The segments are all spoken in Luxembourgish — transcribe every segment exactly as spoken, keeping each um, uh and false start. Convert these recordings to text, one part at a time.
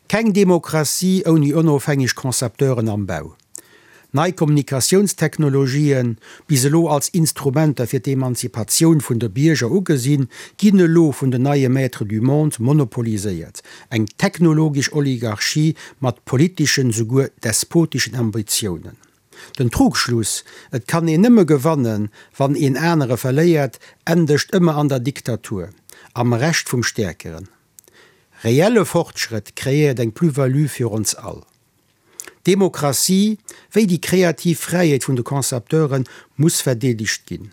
Keng Demokratie ouni onofhängeg Concepteuren am Bau. Nei Kommunikatiounstechnologien, bis elo als Instrumenter fir d'Emanzipatioun vun de Bierger ugesinn, ginn elo vun den neie Maîtres du monde monopoliséiert, eng technologesch Oligarchie mat politeschen, souguer despoteschen Ambitiounen. Den Trugschluss, et kann een nëmme gewannen, wann een anere verléiert, endegt ëmmer an der Diktatur, am Recht vum Stäerkeren. Reelle Fortschrëtt kreéiert eng Plus-value fir ons all. D'Demokratie, wéi déi kreativ Fräiheet vun de Concepteure muss verdeedegt ginn.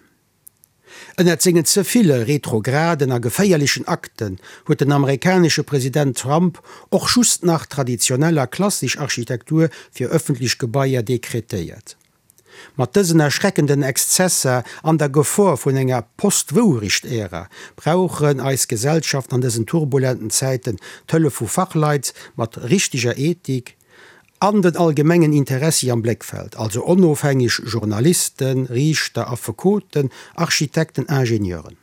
Ënnert sengen ze ville retrograden a geféierlechen Akten huet den amerikanesche President Trump och just nach traditionell a klassesch Architektur fir ëffentlech Gebaier dekretéiert. Mat dësen erschreckenden Exzesser an der Gefor vun enger Post-Wourecht-Ära brauchen eis Gesellschaften an dësen turbulenten Zäiten d'Hëllef vu Fachleit mat richteger Ethik an den allgemengen Interessi am Bléckfeld, also onofhängeg Journalisten, Riichter, Affekoten, Architekten, Ingenieuren.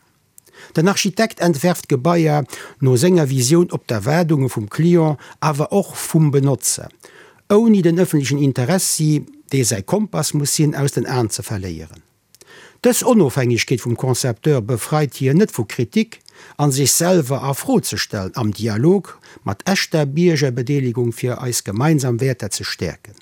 Den Architekt entwerft Gebaier no senger Visioun op d'Erwaardunge vum Client, awer och vum Benotzer, ouni den ëffentlechen Interessi, dee säi Kompass muss sinn, aus den Aen ze verléieren. Dës Onofhängegkeet vum Concepteur befreit hien net vu Kritik an sech selwer a Fro ze stellen, am Dialog mat echter Biergerbedeelegung fir eis gemeinsam Wäerter ze stäerken.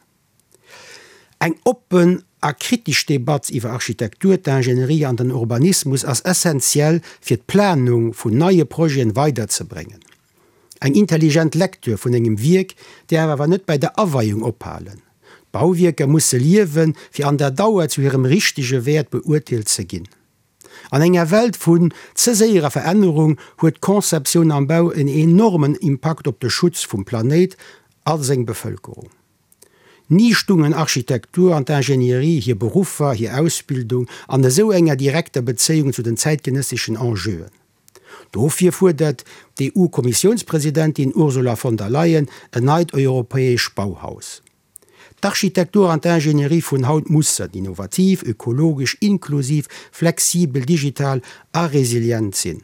Eng oppen a kritesch Debatt iwwer Architektur, d'Ingénierie an den Urbanismus ass essenziell fir d'Planung vun neie Projeten weiderzebréngen. Eng intelligent Lektür vun engem Wierk däerf awer net bei der Aweiung ophalen. D'Bauwierker musse liewen, fir an der Dauer zu hirem richtege Wäert beurteelt ze ginn. An enger Welt vun ze séierer Verännerung huet d'Conceptioun am Bau en enormen Impakt op de Schutz vum Planéit a seng Bevëlkerung. Ni stungen Architektur an d'Ingénierie, hir Beruffer, hir Ausbildung an esou enger direkter Bezéiung zu den zäitgenësseschen Enjeuen. Dofir fuerdert d'EU-Kommissiounspresidentin Ursula von der Leyen en neit europäesch Bauhaus. D'Architektur an d'Ingénierie vun haut mussen innovativ, ökologesch, inklusiv, flexibel, digital a resilient sinn.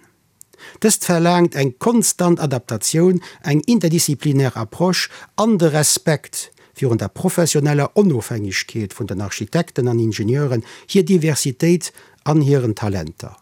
Dëst verlaangt eng konstant Adaptatioun, eng interdisziplinär Approche an de Respekt virun der professioneller Onofhängegkeet vun den Architekten an Ingenieuren, hir Diversitéit an hiren Talenter.